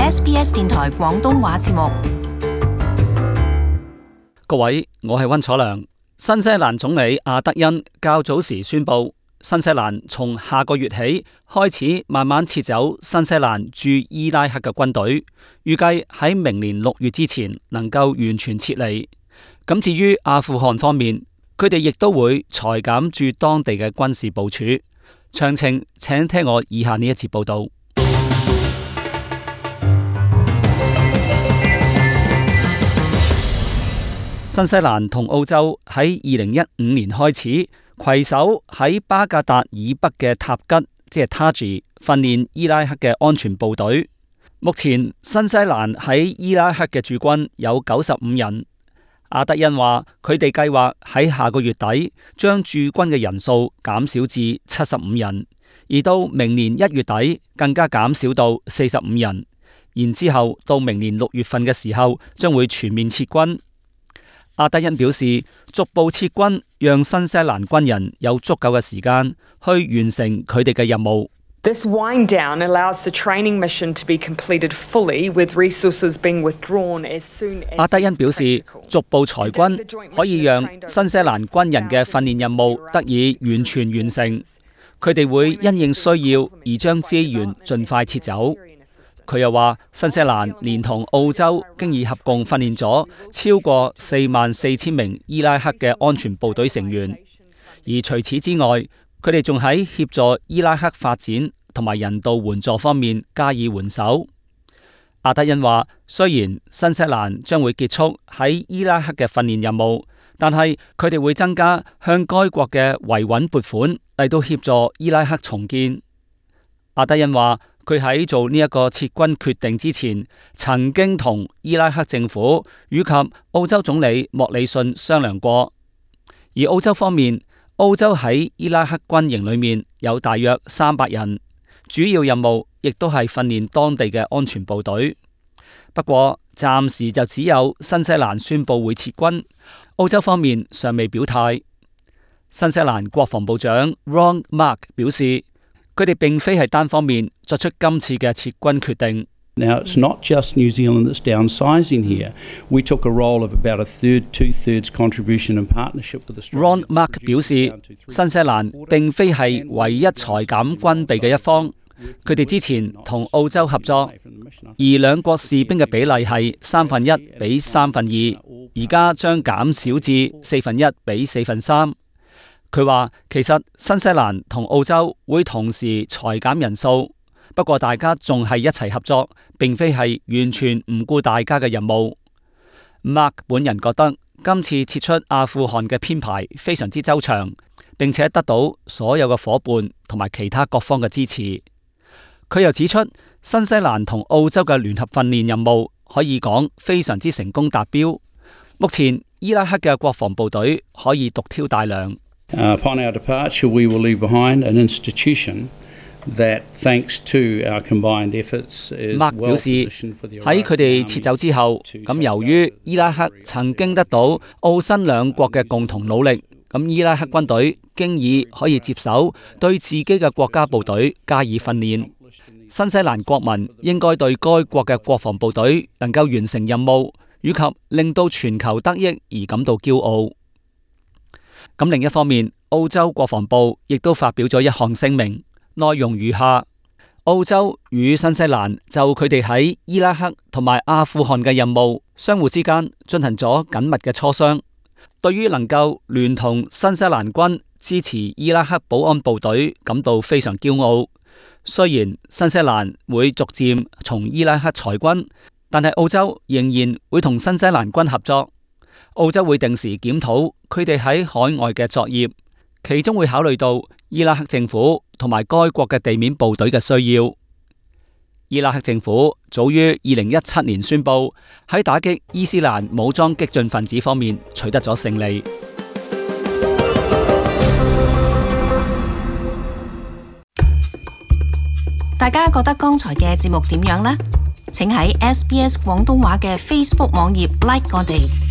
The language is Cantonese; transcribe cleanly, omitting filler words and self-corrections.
SBS 電台廣東話節目。各位，我係溫楚良。新西蘭總理阿德恩較早時宣布，新西蘭從下個月起開始慢慢撤走新西蘭駐伊拉克嘅軍隊，預計喺明年6月之前能夠完全撤離。咁至於阿富汗方面，佢哋亦都會裁減駐當地嘅軍事部署。詳情請聽我以下呢一節報道。新西蘭同澳洲喺2015年開始攜手喺巴格達以北嘅塔吉，即係 Taji 訓練伊拉克嘅安全部隊。目前新西蘭喺伊拉克嘅駐軍有95人。阿德恩話佢哋計劃喺下個月底將駐軍嘅人數減少至75人，而到明年1月底更加減少到45人，然之後到明年6月份嘅時候將會全面撤軍。阿德恩表示，逐步撤軍讓新西蘭軍人有足夠嘅時間去完成佢哋嘅任務。This wind down allows the training mission to be completed fully, with resources being withdrawn as soon as 阿德恩表示，逐步裁軍可以讓新西蘭軍人嘅訓練任務得以完全完成。佢哋會因應需要而將資源盡快撤走。佢又話，新西蘭連同澳洲經已合共訓練咗超過44,000名伊拉克嘅安全部隊成員，而除此之外，佢哋仲喺協助伊拉克發展同埋人道援助方面加以援手。阿德恩話，雖然新西蘭將會結束喺伊拉克嘅訓練任務，但係佢哋會增加向該國嘅維穩撥款嚟到協助伊拉克重建。阿德恩話，佢喺做呢一個撤軍決定之前，曾經同伊拉克政府以及澳洲總理莫里遜商量過。而澳洲方面，澳洲喺伊拉克軍營裏面有大約300人，主要任務亦都係訓練當地嘅安全部隊。不過暫時就只有新西蘭宣布會撤軍，澳洲方面尚未表態。新西蘭國防部長 Ron Mark 表示，佢哋並非係單方面作出今次嘅撤軍決定。Now, it's not just New Zealand that's downsizing here. We took a role of about a third, two-thirds contribution and partnership with Australia. Ron Mark 表示，新西蘭並非係唯一裁減軍備嘅一方，佢哋之前同澳洲合作，而兩國士兵嘅比例係1/3比2/3，而家將減少至1/4比3/4。佢話其實新西蘭同澳洲會同時裁減人數，不過大家仲係一齊合作，並非係完全唔顧大家嘅任務。Mark 本人覺得今次撤出阿富汗嘅編排非常之周詳，並且得到所有嘅夥伴同埋其他各方嘅支持。佢又指出，新西蘭同澳洲嘅聯合訓練任務可以講非常之成功達標。目前伊拉克嘅國防部隊可以獨挑大梁。Upon our departure, we will leave behind an institution that, thanks to our combined efforts, is well positioned for the Iraqi army. 喺佢哋撤走之後，咁由於伊拉克曾經得到澳新兩國嘅共同努力，咁伊拉克軍隊經已可以接手對自己嘅國家部隊加以訓練。新西蘭國民應該對該國嘅國防部隊能夠完成任務，以及令到全球得益而感到驕傲。咁另一方面，澳洲國防部亦都發表咗一項聲明，內容如下：澳洲與新西蘭就佢哋喺伊拉克同埋阿富汗嘅任務相互之間進行咗緊密嘅磋商，對於能夠聯同新西蘭軍支持伊拉克保安部隊感到非常驕傲。雖然新西蘭會逐漸從伊拉克裁軍，但係澳洲仍然會同新西蘭軍合作。澳洲會定時檢討佢哋喺海外嘅作業，其中會考慮到伊拉克政府同埋該國嘅地面部隊嘅需要。伊拉克政府早於2017年宣布喺打擊伊斯蘭武裝激進分子方面取得咗勝利。大家覺得剛才嘅節目點樣呢？請喺SBS 廣東話嘅 Facebook 網頁 like 我哋。